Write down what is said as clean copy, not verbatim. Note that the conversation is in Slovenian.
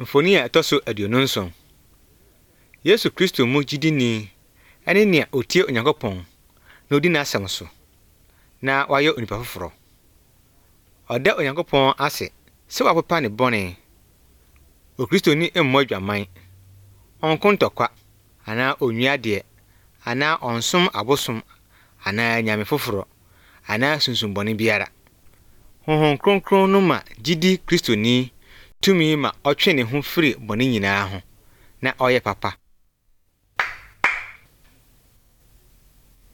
Mfoni a ɛtɔ so aduonu nson. Yesu Kristo mu gyidini ɛne nea otie Onyankopɔn na odi n'asɛm so na wayɛ onipa foforo. Ɔda Onyankopɔn ase sɛ wapepa ne bɔne. Okristoni mmɔ dwaman, ɔnko ntɔkwa anaa onwia deɛ anaa ɔnsom abosom anaa nyame foforo anaa sunsumbɔne biara. Honhom Kronkron no ma gyidi Kristoni tumi ma ɔtwe ne ho firi bɔne nyinaa ho na ɔyɛ papa.